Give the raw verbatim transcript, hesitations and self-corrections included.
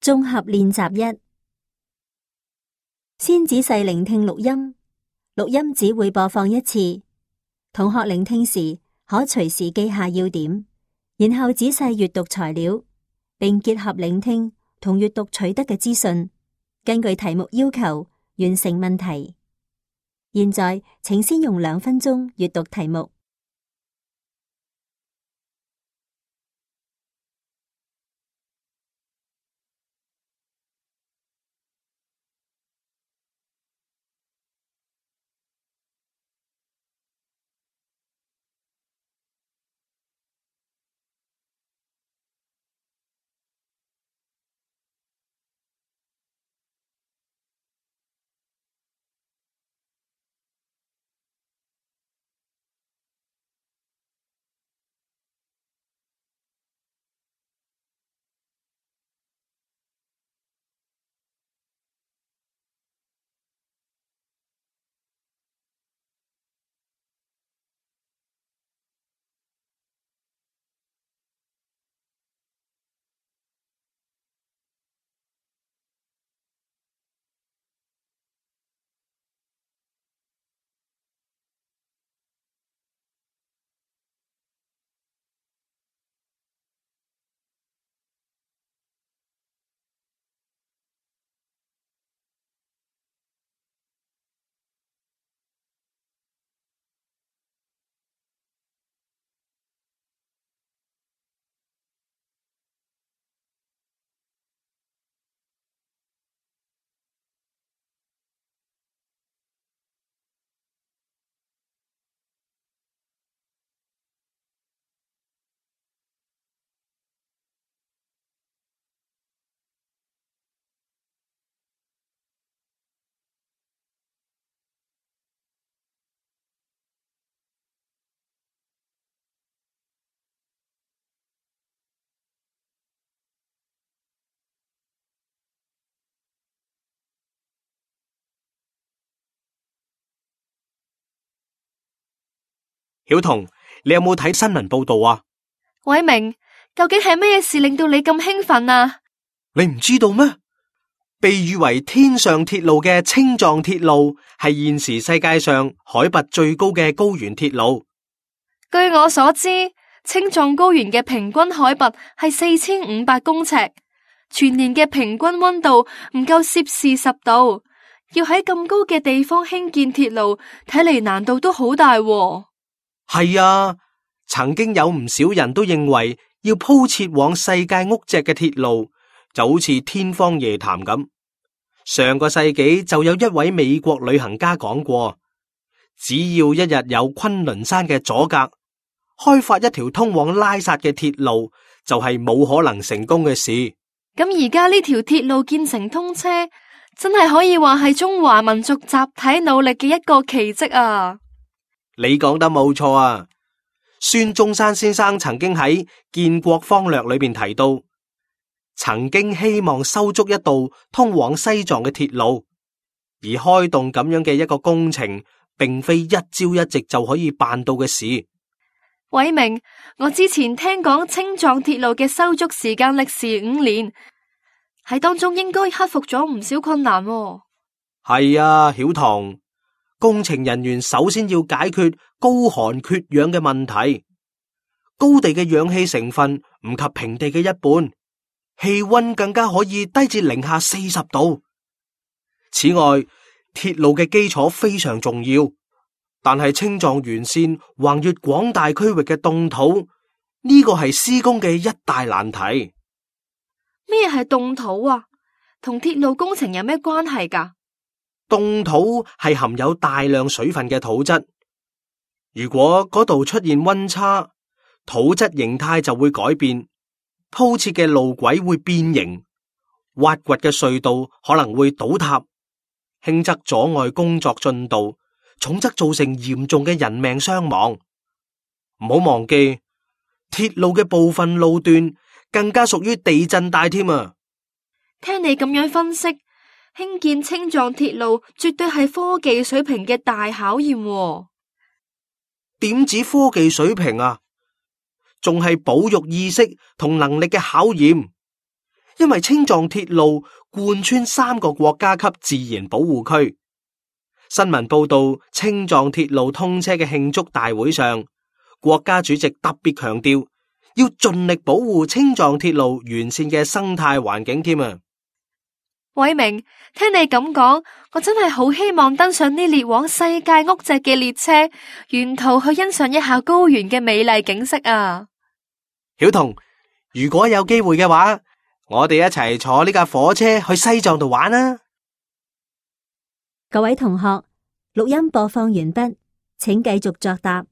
綜合練習一，先仔細聆聽錄音，錄音只會播放一次。同學聆聽時可隨時記下要點，然後仔細閱讀材料，並結合聆聽同閱讀取得嘅資訊，根據題目要求完成問題。現在請先用兩分鐘閱讀題目。曉彤，你有冇睇新聞報道啊？偉明，究竟係咩事令到你咁興奮啊？你唔知道咩？被譽為天上鐵路嘅青藏鐵路係現時世界上海拔最高嘅高原鐵路。據我所知，青藏高原嘅平均海拔係四千五百公尺，全年嘅平均溫度唔夠攝氏十度，要喺咁高嘅地方興建鐵路，睇嚟難度都好大喎。係啊，曾經有唔少人都認為要鋪設往世界屋脊嘅鐵路就好似天方夜譚咁。上個世紀就有一位美國旅行家講過，只要一日有昆崙山嘅阻隔，開發一條通往拉薩嘅鐵路就係冇可能成功嘅事。咁而家呢條鐵路建成通車，真係可以話係中華民族集體努力嘅一個奇蹟啊！你講得冇錯啊！孫中山先生曾經喺《建國方略》裏邊提到，曾經希望修築一道通往西藏嘅鐵路，而開動咁樣嘅一個工程，並非一朝一夕就可以辦到嘅事。偉明，我之前聽講青藏鐵路嘅修築時間歷時五年，喺當中應該克服咗唔少困難喎。係啊，曉彤。工程人員首先要解決高寒缺氧嘅問題，高地嘅氧氣成分唔及平地嘅一半，氣溫更加可以低至零下四十度。此外，鐵路嘅基礎非常重要，但係青藏沿線橫越廣大區域嘅凍土，呢個係施工嘅一大難題。咩係凍土啊？同鐵路工程有咩關係㗎？凍土係含有大量水分嘅土質，如果嗰度出現溫差，土質形態就會改變，鋪設嘅路軌會變形，挖掘嘅隧道可能會倒塌，輕則阻礙工作進度，重則造成嚴重嘅人命傷亡。唔好忘記，鐵路嘅部分路段更加屬於地震帶添啊！聽你咁樣分析，興建青藏鐵路絕對係科技水平嘅大考驗喎。點止科技水平啊，仲係保育意識同能力嘅考驗。因為青藏鐵路貫穿三個國家級自然保護區。新聞報道，青藏鐵路通車嘅慶祝大會上，國家主席特別強調要盡力保護青藏鐵路完善嘅生態環境添啊！偉明，聽你咁講，我真係好希望登上呢列往世界屋脊嘅列車，沿途去欣賞一下高原嘅美麗景色啊！曉彤，如果有機會嘅話，我哋一齊坐呢架火車去西藏度玩啊！各位同學，錄音播放完畢，請繼續作答。